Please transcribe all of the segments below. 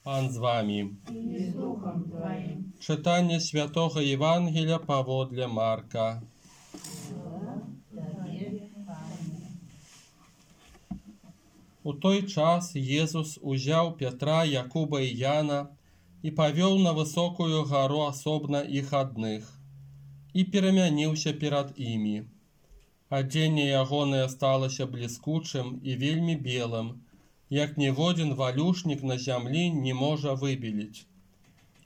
Пан з вами. И с Духом Твоим. Читання Святого Євангелія паводле Марка. У той час Езус узял Петра, Якуба и Яна и повел на высокую гору особно их одних, и перемянился перед ими. Адзенне ягонае сталася бліскучым і вельмі белым, як ніводзін валюшнік на зямлі не можа выбеліць.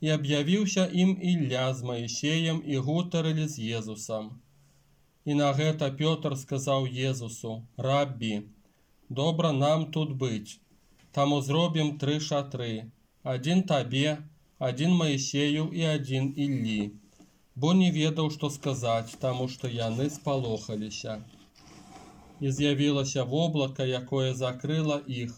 І аб'явіўся ім Ілля з Маісеем і гутарылі з Езусам. І на гэта Пётр сказаў Езусу: «Раббі, добра нам тут быць, таму зробім 3 шатры, адзін табе, адзін Маісею і адзін Іллі». Бо не ведаў, што сказаць, таму што яны спалохаліся. І з'явілася воблака, якое закрыла іх,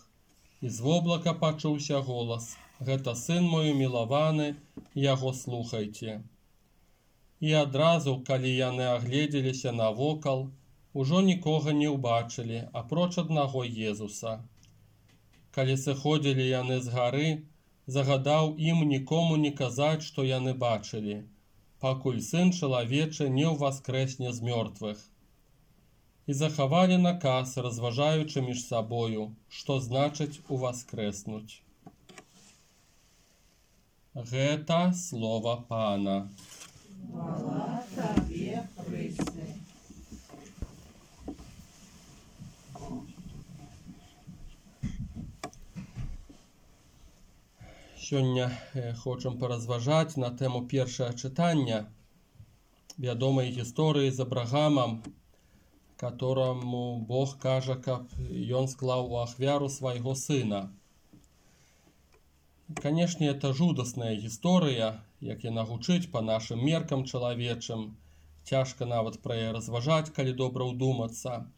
і з воблака пачуўся голас: «Гэта сын мой умілаваны, яго слухайце». І адразу, калі яны агледзеліся навокал, ужо нікога не ўбачылі, апроч аднаго Езуса. Калі сыходзілі яны з гары, загадаў ім нікому не казаць, што яны бачылі, пакуль сын чалавечы не ўваскрэсне з мёртвых. І захавалі наказ, разважаючы між сабою, што значыць уваскрэснуць. Гэта слова Пана. Хвала Табе, Хрысце. Сёння хочам паразважаць на тэму першае чытання вядомай гісторыі з Абрагамам, которому Бог кажа, каб ён склаў у ахвяру свайго сына. Канешне, это жудасная гісторыя, як яна гучыць па нашым меркам чалавечым. Цяжка нават пра яе разважаць, калі добра ўдумацца.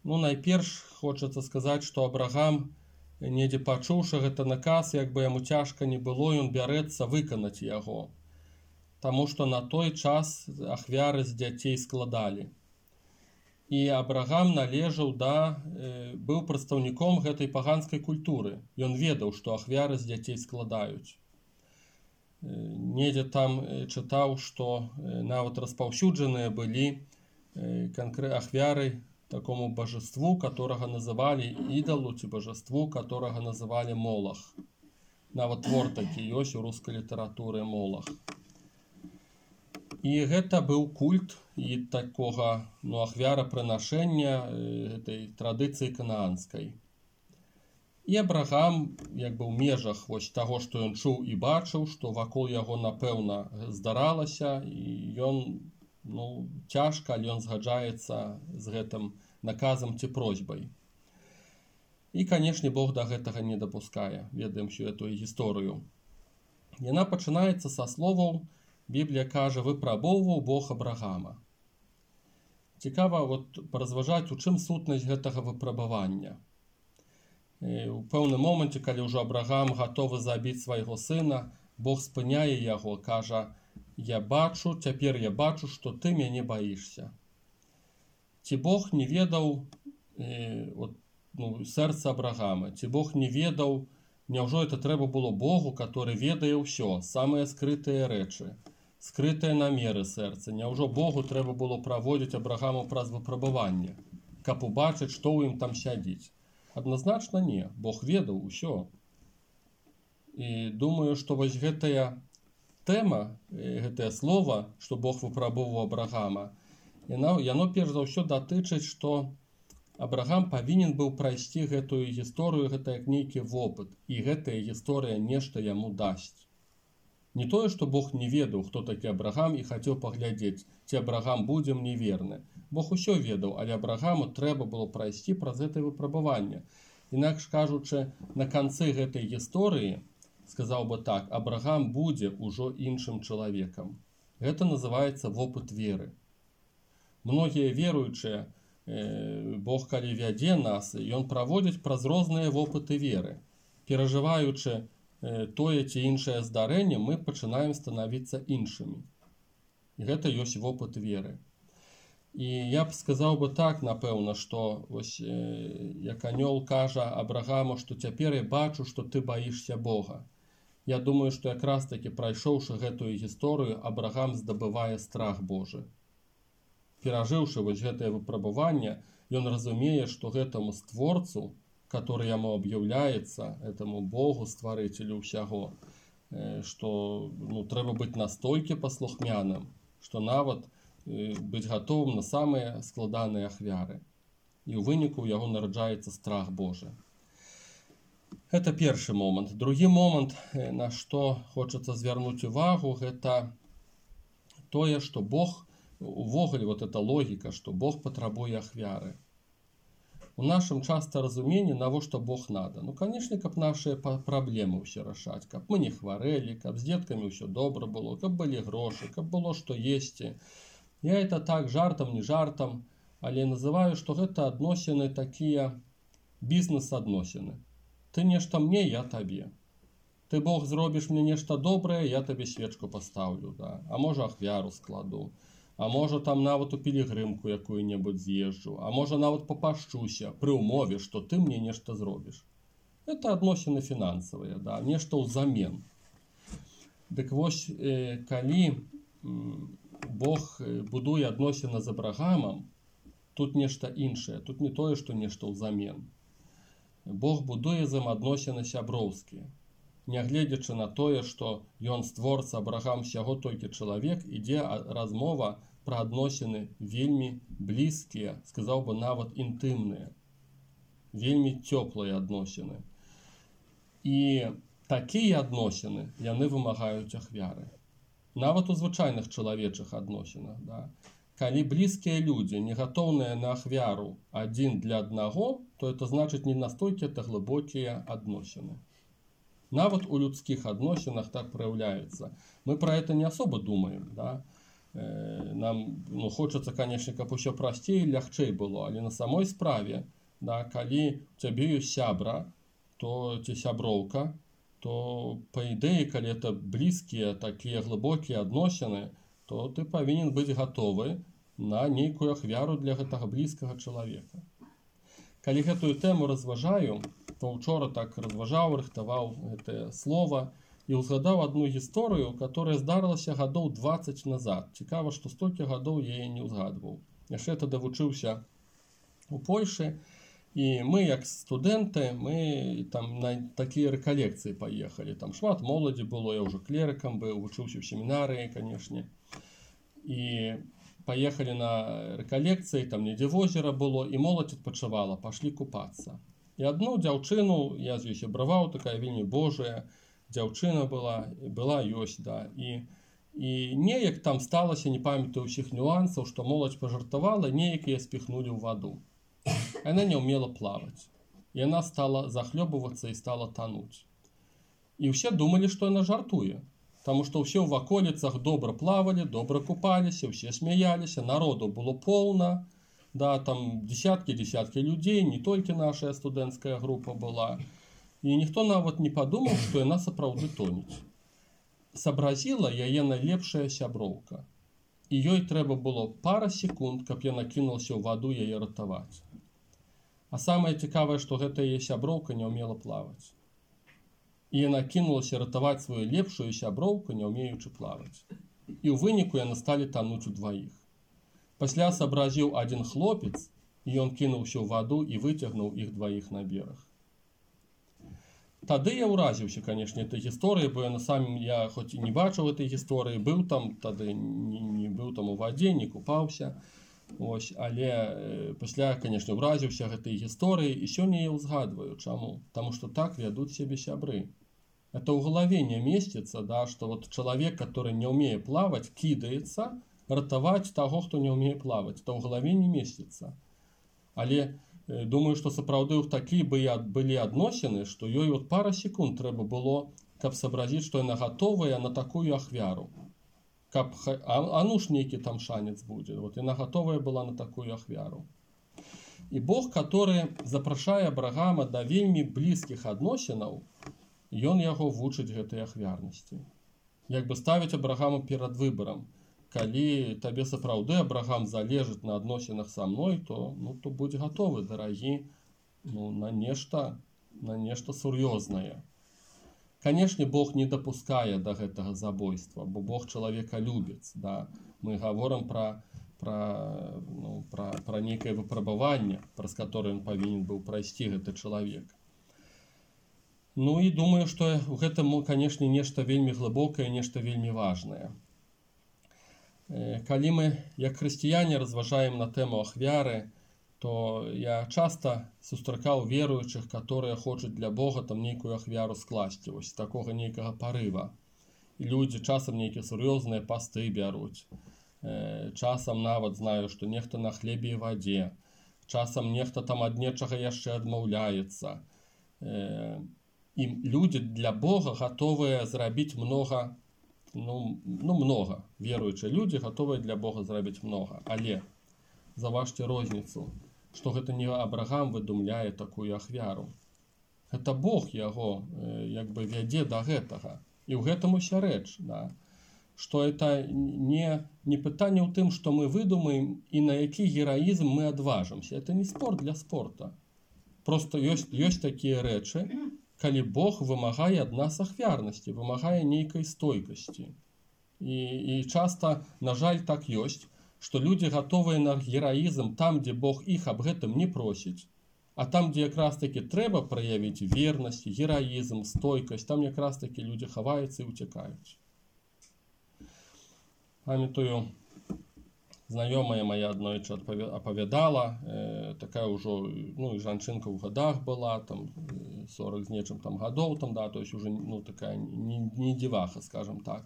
Найперш хочацца сказаць, што Абрагам, недзе пачуўшы гэты наказ, як бы яму цяжка не было, ён бярэцца выканаць яго. Таму што на той час ахвяры з дзяцей складалі. І Абрагам належаў быў прадстаўніком гэтай паганскай культуры. Ён ведаў, што ахвяры з дзяцей складаюць. Недзе там чытаў, што нават распаўсюджаныя былі ахвяры такому божеству, которого называли идолу, ці божеству, которого называли Молох. Нават твор такі ёсць у рускай літаратуры Молох. І гэта быў культ і такога ахвярапрынашэння гэтай традыцыі канаанскай. І Абрагам, як бы ў межах таго, што ён чуў і бачыў, што вакол яго, напэўна, здаралася, і ён цяжка, але ён згаджаецца з гэтым наказам ці просьбай. І, канешне, Бог да гэтага не дапускае. Ведаем всю эту гісторыю. Яна пачынаецца са словаў, Біблія кажа, выпрабоўваў Бог Абрагама. Цікава паразважаць, у чым сутнасць гэтага выпрабавання. У пэўным моманце, калі ўжо Абрагам гатовы забіць свайго сына, Бог спыняе яго, кажа: цяпер я бачу, што ты мяне баішся. Ці Бог не ведаў сэрца Абрагама? Ці Бог не ведаў, няўжо это трэба было Богу, который ведае ўсё, самыя скрытыя рэчы, скрытыя намеры сэрца? Няўжо Богу трэба было праводзіць Абрагаму праз выпрабаванне, каб убачыць, што ў ім там сядзіць? Адназначна не. Бог ведаў усё. І думаю, што гэтая тэма, гэтае слова, што Бог выпрабоўваў Абрагама, яно перш за ўсё датычыць, што Абрагам павінен быў прайсці гэтую гісторыю, гэта як нейкі вопыт, і гэтая гісторыя нешта яму дасць. Не тое, што Бог не ведаў, хто такі Абрагам, і хацеў паглядзець, ці Абрагам будзе мне верны. Бог усё ведаў, але Абрагаму трэба было прайсці праз гэтае выпрабаванне. Інакш кажучы, на канцы гэтай гісторыі, сказаў бы так, Абрагам будзе ўжо іншым чалавекам. Гэта называецца вопыт веры. Многія веруючыя, Бог, калі вядзе нас, ён праводзіць праз розныя вопыты веры. Перажываючы тое ці іншае здарэнне, мы пачынаем станавіцца іншымі. І гэта ёсць вопыт веры. І я б сказаў бы так, напэўна, што вось, як анёл кажа Абрагаму, што цяпер я бачу, што ты баішся Бога. Я думаю, што якраз такі, прайшоўшы гэтую гісторыю, Абрагам здабывае страх Божы. Перажыўшы вось гэтае выпрабаванне, ён разумее, што гэтаму створцу, который яму аб'яўляецца, этому Богу, стварыцелю ўсяго, што трэба быць настолькі паслухмяным, што нават быць гатовым на самыя складаныя ахвяры. І ў выніку ў яго нараджаецца страх Божы. Гэта першы момант. Другі момант, на што хочацца звярнуць увагу, гэта тое, што Бог, увогуле вот эта логіка, што Бог патрабуе ахвяры. У нашым часта разуменні, навошта Бог надо? Канешне, каб нашыя праблемы ўсе рашаць, каб мы не хварэлі, каб з дзеткамі ўсё добра было, каб былі грошы, каб было што есці. Я это так жартам, не жартам, але называю, што гэта адносіны такія бізнес-адносіны. Ты нешта мне, я табе. Ты, Бог, зробіш мне нешта добрае, я табе свечку пастаўлю, да? А можа ахвяру складу. А можа там нават у пілігрымку якую-небудзь з'езджу, а можа нават папашчуся пры ўмове, што ты мне нешта зробіш. Это адносіны фінансавыя, да? Нешта ўзамен. Дык вось, калі Бог будуе адносіны з Абрагамам, тут нешта іншае, тут не тое, што нешта ўзамен. Бог будуе з ім адносіны сяброўскія. Нягледзячы на тое, што ён створца, Абрагам усяго толькі чалавек, ідзе размова пра адносіны вельмі блізкія, сказаў бы нават інтымныя, вельмі цёплыя адносіны. І такія адносіны, яны вымагаюць ахвяры. Нават у звычайных чалавечых адносінах, да? Калі блізкія людзі не гатоўныя на ахвяру адзін для аднаго, то это значыць не настолькі это глыбокія адносіны. Нават у людскіх адносінах так праяўляецца. Мы пра это не асоба думаем, да? Нам хочацца, канешне, каб усё прасцей і лягчэй было, але на самой справе, да, калі у цябе ёсць сябра, то ці сяброўка, то па ідэі, калі это блізкія такія глыбокія адносіны, то ты павінен быць гатовы на нейкую ахвяру для гэтага блізкага чалавека. Калі гэтую тэму разважаю, то учора так разважаў, рыхтаваў гэтае слова і ўзгадаў адну гісторыю, которая здарылася гадоў 20 назад. Цікава, што столькі гадоў я яе не ўзгадваў. Яшчэ тады вучыўся у Польшы, і мы, як студэнты, мы там на такія рэкалекцыі паехалі. Там шмат моладзі было, я ўжо клерыкам быў, вучыўся ў семінарыі, канешне. І паехалі на рэкалекцыі, там недзе возера было, і моладзь адпачывала, пашлі купацца. І адну дзяўчыну, я з ёй сябраваў, такая вельмі божая дзяўчына была ёсць, да. І неяк там сталася, не памятаю ўсіх нюансаў, што моладзь пажартавала, неяк яе спіхнулі ў ваду. Яна не ўмела плаваць. І яна стала захлёбвацца і стала тануць. І ўсе думалі, што яна жартуе. Таму што ўсе ў ваколіцах добра плавалі, добра купаліся, ўсе смяяліся, народу было поўна, да, там десяткі людзей, не толькі наша студэнцкая група была. І ніхто нават не падумаў, што яна сапраўды тонуць. Сабразіла яе найлепшая сяброўка. І ёй трэба было пара секунд, каб яна кінулася ў ваду яе ратаваць. А самае цікавае, што гэта яе сяброўка не ўмела плаваць. І яна кінулася ратаваць сваю лепшую сяброўку, не ўмеючы плаваць. І ў выніку яны сталі тануць удваіх. Пасля сабразіў адзін хлопец, і ён кінуўся ў ваду і выцягнуў іх дваіх на бераг. Тады я ўразіўся, канешне, этой гісторыі, бо я хоць і не бачыў этой гісторыі, быў там тады, не быў там у вадзе, не купаўся. Ось, але пасля, канешне, ўразіўся гэтай гісторыі, і сёння я ўзгадваю. Чаму? Таму што так вядуць сябе сябры. Это ў галаве не месціцца, да, што вот чалавек, который не ўмее плаваць, кідаецца ратаваць таго, хто не ўмее плаваць. Это ў галаве не месціцца. Але думаю, што сапраўды ў такі былі адносіны, што ёй вот пара секунд трэба было, каб сабразіць, што яна гатовая на такую ахвяру. Каб, а ну ж нейкі там шанец будзе. Вот яна гатовая была на такую ахвяру. І Бог, который запрашае Абрагама да вельмі блізкіх адносінаў, ён яго вучыць гэтай ахвярнасці. Як бы ставіць Абрагаму перад выбарам. калі табе сапраўды Абрагам залежыць на адносінах са мной, то будь гатовы, дарагі, на нешта сур'ёзнае. Канешне, Бог не дапускае да гэтага забойства, бо Бог чалавека любіць. Да? Мы гаворым пра нейкае выпрабаванне, праз которое ён павінен быў прайсці гэты чалавек. І думаю, што ў гэтым, канешне, нешта вельмі глыбокае, нешта вельмі важнае. Калі мы, як хрысціяне, разважаем на тэму ахвяры, то я часта сустракаў веруючых, которые хочуць для Бога там нейкую ахвяру скласці, вось такога нейкага парыва. І людзі часам нейкія сур'ёзныя пасты бяруць. Часам нават знаю, што нехта на хлебе і вадзе. Часам нехта там ад нечага яшчэ адмаўляецца. І людзі для Бога гатовыя зрабіць многа, многа. Веруючыя людзі гатовыя для Бога зрабіць многа. Але заўважце розніцу, што гэта не Абрагам выдумляе такую ахвяру. Гэта Бог яго вядзе да гэтага. І ў гэтым уся рэч, да? Што это не пытанне ў тым, што мы выдумаем і на які гераізм мы адважымся. Это не спорт для спорта. Просто ёсць такія рэчы, калі Бог вымагае ад нас ахвярнасці, вымагае нейкай стойкасці. І часта, на жаль, так ёсць, што людзі гатовыя на гераізм там, дзе Бог іх аб гэтым не просіць, а там, дзе якраз такі трэба праявіць вернасць, гераізм, стойкасць, там якраз такі людзі хаваюцца і ўцякаюць. Памятаю, знаёмая моя аднойчы апавядала, такая ўжо, і жанчынка ў гадах была, там 40 з нечым там гадоў, там, да, то есть уже, такая не дзіваха, скажем так.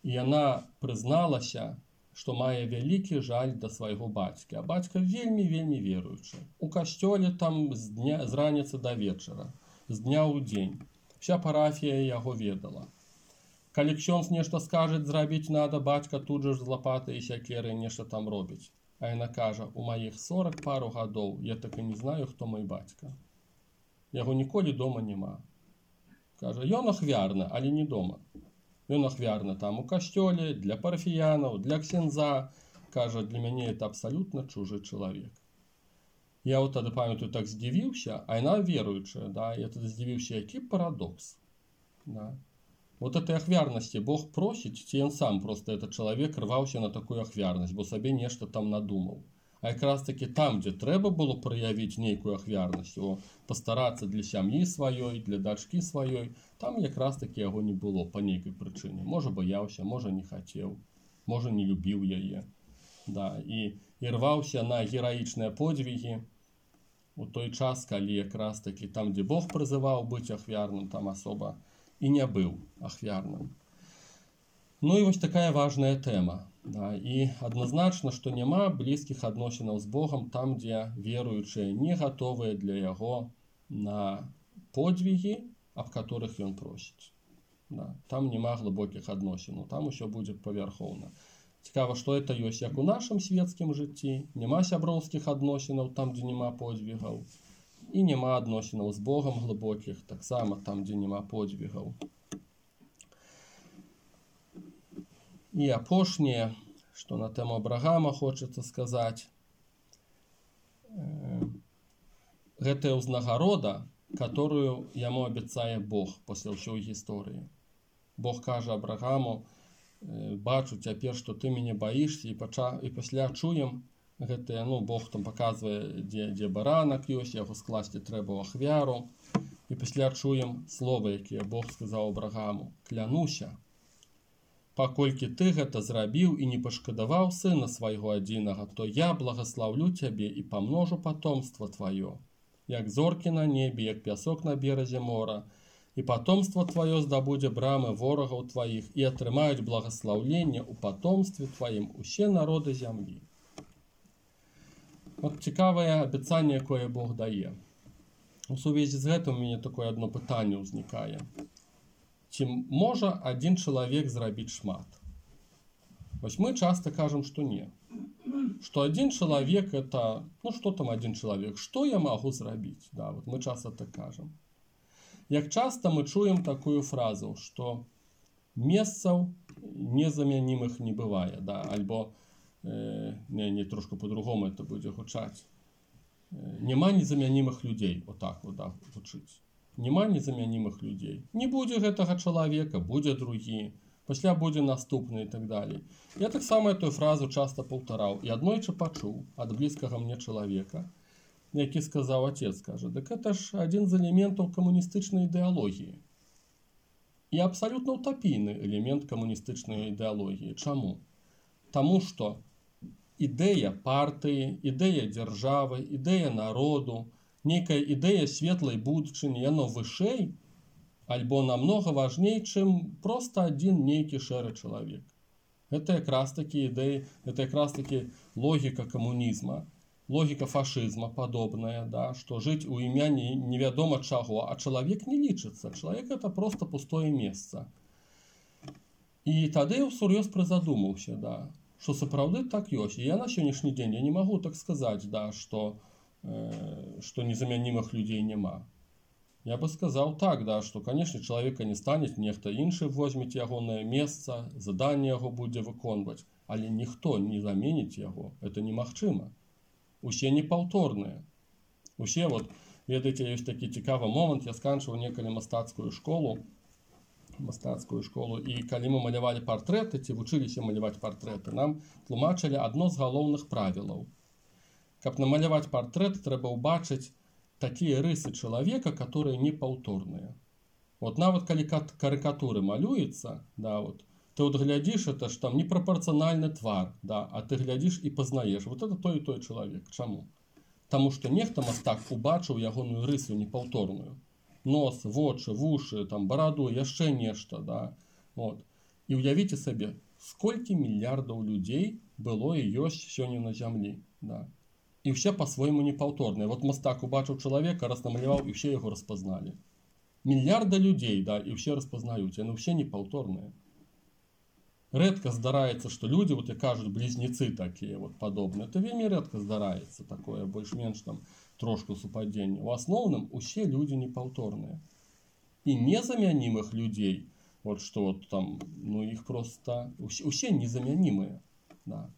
І яна прызналася, што мае вялікі жаль да свайго бацькі. А бацька вельмі веруючы. У касцёле там з раніцы да вечара, з дня ў дзень. Вся парафія яго ведала. Калі ксёндз нешта скажа зрабіць надо, бацька тут жа з лапатай і сякерай нешта там робіць. А яна кажа, у маіх 40 пару гадоў я так і не знаю, хто мой бацька. Яго ніколі дома няма. Кажа, ён ахвярны, але не дома. Ён ахвярны там у касцёле, для парафіянаў, для ксяндза. Кажа, для мяне это абсалютна чужы чалавек. Я вот тады памятаю, так здзівіўся, а яна веруючая, да, я тады здзівіўся, які парадокс. Да. Вот этой ахвярнасці Бог просіць, ці ён сам просто этот чалавек рваўся на такую ахвярнасць, бо сабе нешта там надумаў. А якраз таки там, дзе трэба было праявіць нейкую ахвярнасць, пастарацца для сям'і сваёй, для дачкі сваёй, там якраз таки яго не было па нейкай прычыне. Можа баяўся, можа не хацеў, можа не любіў яе. Да, і рваўся на гераічныя подвігі у той час, калі якраз таки там, дзе Бог прызываў быць ахвярным, там асоба і не быў ахвярным. І вось такая важная тэма. Да, і адназначна, што няма блізкіх адносінаў з Богам там, дзе веруючыя не гатовыя для яго на подвігі, аб которых ён просіць. Да, там няма глыбокіх адносінаў, там усё будзе павярхоўна. Цікава, што это ёсць як у нашым свецкім жыцці, няма сяброўскіх адносінаў там, дзе няма подвігаў, і няма адносінаў з Богам глыбокіх, таксама там, дзе няма подвігаў. І апошняе, што на тэму Абрагама хочацца сказаць, гэтая ўзнагарода, которую яму абяцае Бог пасля ўсёй гісторыі. Бог кажа Абрагаму, бачу цяпер, што ты мяне баішся, і пасля чуем гэтае, Бог там паказвае, дзе баранак ёсць, яго скласці трэба ў ахвяру, і пасля чуем словы, якія Бог сказаў Абрагаму, клянуся, паколькі ты гэта зрабіў і не пашкадаваў сына свайго адзінага, то я благаслаўлю цябе і памножу патомства тваё, як зоркі на небе, як пясок на беразе мора, і патомства тваё здабудзе брамы ворагаў тваіх, і атрымаюць благаслаўленне ў патомстве тваім усе народы зямлі. От цікавае абяцанне, якое Бог дае. У сувязі з гэтым у мяне такое адно пытанне ўзнікае. Ці можа адзін чалавек зрабіць шмат? Вось мы часта кажам, што не. Што адзін чалавек это, што там адзін чалавек? Што я магу зрабіць? Да, вот мы часта так кажам. Як часта мы чуем такую фразу, што месцаў незамянімых не бывае, да, альбо не трошку по-другому это будзе гучаць. Няма незамянімых людзей, отак вот, да, гучыць. Няма незамянімых людзей. Не будзе гэтага чалавека, будзе другі, пасля будзе наступны і так далей. Я таксама эту фразу часта паўтараў і аднойчы пачуў ад блізкага мне чалавека, які сказаў, отец кажа, дык это ж адзін з элементаў камуністычнай ідэалогіі. І абсалютна утапійны элемент камуністычнай ідэалогіі. Чаму? Таму што ідэя партыі, ідэя дзяржавы, ідэя народу, нейкая ідэя светлай будучыні, яно вышэй, альбо намнога важней, чым проста адзін нейкі шэры чалавек. Гэта якраз такі ідэі, гэта якраз такі логіка камунізма, логіка фашызма падобная, да, што жыць у імя невядома чаго, а чалавек не лічыцца. Чалавек это проста пустое месца. І тады я ўсур'ёз прызадумаўся, да, што сапраўды так ёсць. І я на сённяшні дзень я не магу так сказаць, да, што незамянімых людзей няма. Я бы сказаў так, да, што, канешне, чалавека не стане, нехта іншы возьмець ягонае месца, заданне яго будзе выконваць, але ніхто не заменіць яго, это немагчыма. Усе непаўторныя. Усе, вот, ведаеце, ёсць такі цікавы момант, я сканчваў некалі мастацкую школу, і калі мы малявалі партрэты, ці вучыліся маляваць партрэты, нам тлумачылі адно з галоўных правілаў. Каб намаляваць партрэт, трэба ўбачыць такія рысы чалавека, которые непаўторныя. Вот нават калі карыкатуры малюецца, да, вот, ты вот глядзіш, это ж там непрапорцыянальны твар, да, а ты глядзіш і пазнаеш, вот это той і той чалавек. Чаму? Таму што нехта мастак убачыў ягоную рысу непаўторную. Нос, вочы, вушы, там, бараду, яшчэ нешта, да. Вот. І ўявіце сабе, сколькі мільярдаў людзей было і ёсць сёння на зямлі, да. І ўсе па-свойму непаўторныя. Вот мастак убачыў чалавека, раз намаляваў, і ўсе яго распазналі. Мільярда людзей, да, і ўсе распазнаюць, яны ўсе непаўторныя. Рэдка здараецца, што людзі, вот як кажуць, блізнецы такія вот падобныя. Это вельмі рэдка здараецца такое, больш-менш там трошку супадзенне. У асноўным усе людзі непаўторныя. І незамянімых людзей, вот што вот там, ну іх проста усе незамянімыя, да.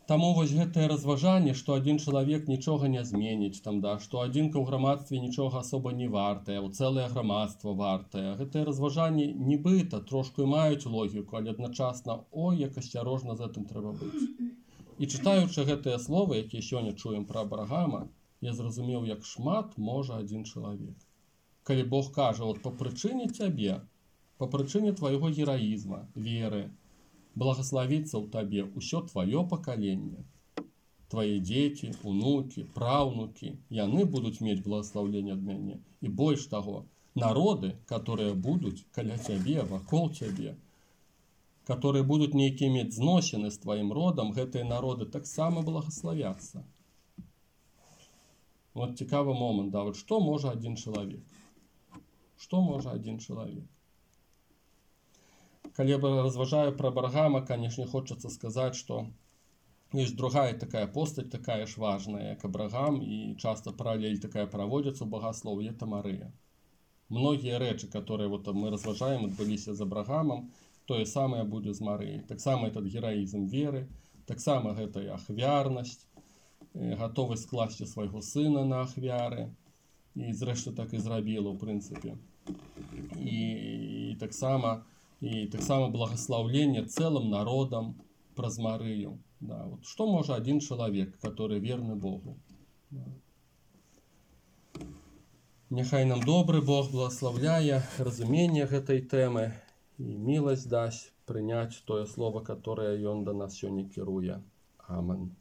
Таму вось гэтае разважанне, што адзін чалавек нічога не зменіць, там, да, што адзінка ў грамадстве нічога асоба не вартае, цэлае грамадства вартае. Гэтае разважанне нібыта трошку і маюць логіку, але адначасна, ой, як асцярожна з гэтым трэба быць. І чытаючы гэтыя словы, якія сёння чуем пра Абрагама, я зразумеў, як шмат можа адзін чалавек. Калі Бог кажа, вот па прычыне цябе, па прычыне твайго гераізма, веры, благословіцца ў табе ўсё твоё пакаленне. Твои дзеці, унукі, праўнукі, яны будуць мець благословленне ад мяне. І больш таго, народы, которые будуць каля цябе, вакол цябе, которые будуць нейкія мець зносіны з тваім родам, гэтыя народы таксама благословяцца. Вот цікавы момант, да, вот што можа адзін чалавек? Што можа адзін чалавек? Калі я разважаю пра Абрагама, канешне, хочацца сказаць, што ёсць другая такая постаць, такая ж важная, як Абрагам, і часта паралель такая праводзіцца ў багаслоўі, это Марыя. Многія рэчы, которые вот мы разважаем, адбыліся з Абрагамам, тое самае будзе з Марыяй. Таксама этот гераізм веры, таксама гэтая ахвярнасць, гатовасць скласці свайго сына на ахвяры, і зрэшты так і зрабіла, ў прынцыпе. І таксама благословление целым народам праз Марыю. Да, вот что может один человек, который верны Богу? Да. Няхай нам добры Бог благословляе разумение гэтай тэмы і міласць дасць прыняць тое слово, которое Ён да нас сёння кіруе. Амен.